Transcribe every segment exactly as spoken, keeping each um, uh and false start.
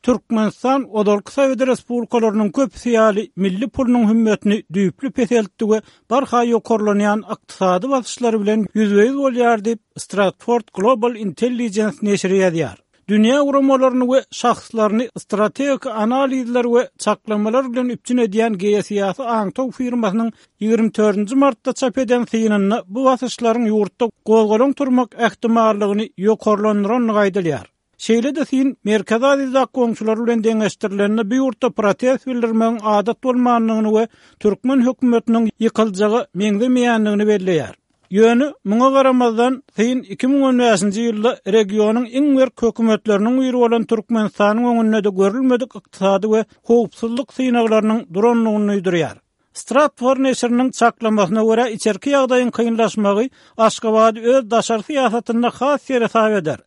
Türkmenistan ozalky Sowet respublikalarynyň köpüsi ýaly milli pulunyň hümmetini düýpli peseltdi we barha ýokarlanýan ykdysady basyşlar bilen ýüzbe-ýüz bolýar diýip, Stratford Global Intelligence neşiri ýazýar. Dünýä guramalaryny we şahslaryny strategik analizler we çaklamalar bilen üpjün edýän geosyýasy aňtaw firmasynyň ýigrimi dördünji martda çap eden synynda bu basyşlaryň ýurtda gozgalaň turmak ähtimallygyny ýokarlandyrandygy aýdylýar. Şeýle-de syn Merkezi Aziýadaky goňşular bilen deňeşdirilende bu ýurtda protest bildirmegiň adat bolmandygyny we türkmen hökümetiniň ýykyljaga meňzemeýändigini belleýär. Ýöne muňa garamazdan syn iki müň on bäşinji ýylda regionyň iň berk hökümetleriniň biri bolan Türkmenistanyň öňünde-de görülmedik ykdysady we howpsuzlyk synaglarynyň durandygyny duýdurýar. Stratfor neşiriniň çaklamasyna görä içerki ýagdaýyň kynlaşmagy Aşgabady öz daşary syýasatynda has seresap eder.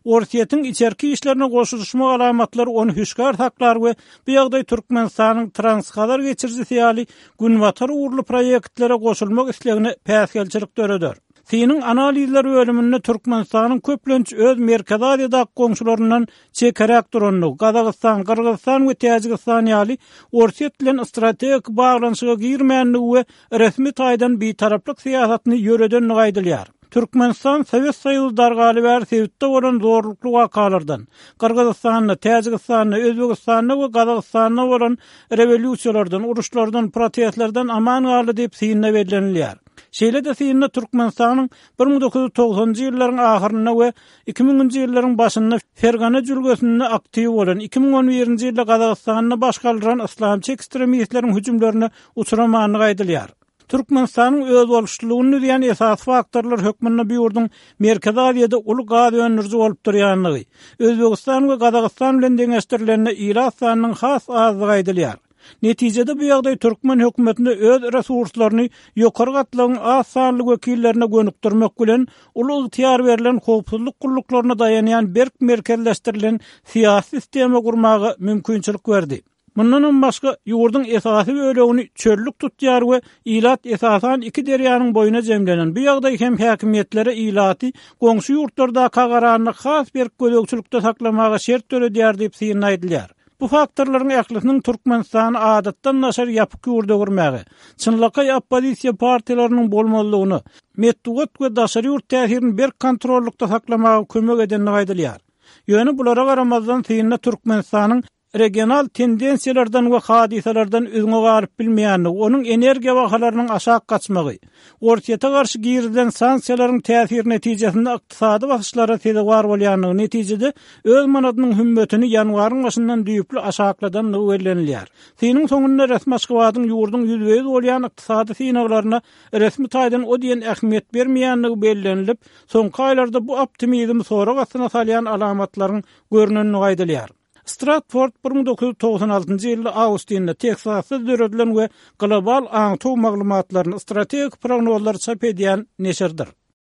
Orsýetiň içerki işlerine goşulyşma alamatlary ony hüşgär saklar we bu ýagdaý Türkmenistanyň Transhazar geçirijisi ýaly günbatar ugurly proýektlere goşulmak islegine päsgelçilik döreder. Synyň analizler bölüminde Türkmenistanyň köplenç öz Merkezi Aziýadaky goňşularyndan çekeräk durandygy, Gazagystan, Gyrgyzystan we Täjigistan ýaly Orsýet bilen strategik baglanyşyga girmändigi we resmi taýdan bitaraplyk syýasatyny ýöredendigi aýdylýar. Türkmenistan Sowet Soýuzy dargaly bäri sebitde bolan zorlukly wakalardan, Gyrgyzystanda, Täjigistanda, Özbegistanda we Gazagystanda bolan rewolýusiýalardan, uruşlardan, protestlerden aman galdy diýip synda bellenilýär. Şeýle-de synda Türkmenistanyň bir müň dokuz ýüz togsanynjy ýyllaryň ahyrynda we iki müňünji ýyllaryň başynda Fergana jülgesinde aktiw bolan, iki müň on birinji ýylda Gazagystanda baş galdyran yslamçy ekstremistleriň hüjümlerine uçramandygy aýdylýar. Türkmenistanyň özboluşlylygyny düzýän esasy faktorlar hökmünde bu ýurduň Merkezi Aziýada uly gaz öndüriji bolup durýandygy, Özbegistan we Gazagystan bilen deňeşdirilende ilat sanynyň has azdygy aýdylýar. Netijede bu ýagdaý türkmen hökümetine öz resurslaryny ýokary gatlagyň az sanly wekillerine gönükdirmek bilen uly ygtyýar berlen howpsuzlyk gulluklaryna daýanýan berk merkezleşdirilen syýasy sistema gurmaga mümkinçilik berdi. Mundanam başga ýurduň esasy bölegini çöllük tutýar we ilat esasan iki derýanyň boýuna jemlenen. Bu ýagdaý hem häkimiýetlere ilaty goňşy ýurtlardaka garanda has berk gözegçilikde saklamaga şert döredýär diýip syn aýdylýar. Bu faktorlaryň ählisiniň Türkmenistany adatdan daşary ýapyk ýurda öwürmäge, çynlakaý oppozisiýa partiýalarynyň bolmazlygyna, metbugat we daşary ýurt täsirini berk kontrollukda saklamaga kömek edendigi aýdylýar. Ýöne bulara garamazdan synda Türkmenistanyň regional tendensiýalardan we hadysalardan üzňe galyp bilmeýändigi, onuň energiýa bahalarynyň aşak gaçmagy, Orsýete garşy girizilen sanksiýalaryň täsiri netijesinde ykdysady basyşlara sezewar bolýandygy netijede öz manadynyň hümmetini ýanwaryň başyndan düýpli aşakladandygy bellenilýär. Synyň soňunda resmi Aşgabadyň ýurduň ýüzbe-ýüz bolýan ykdysady synaglaryna resmi taýdan o diýen ähmiýet bermeýändigi bellenilip, soňky aýlarda bu optimizmi sorag astyna salýan alamatlaryň görnendigi aýdylýar. Stratford bir müň dokuz ýüz togsan altynjy ýylda Austinda, Teksasda döredilen we global aňtaw maglumatlaryny, strategik prognozlary çap edýän neşirdir.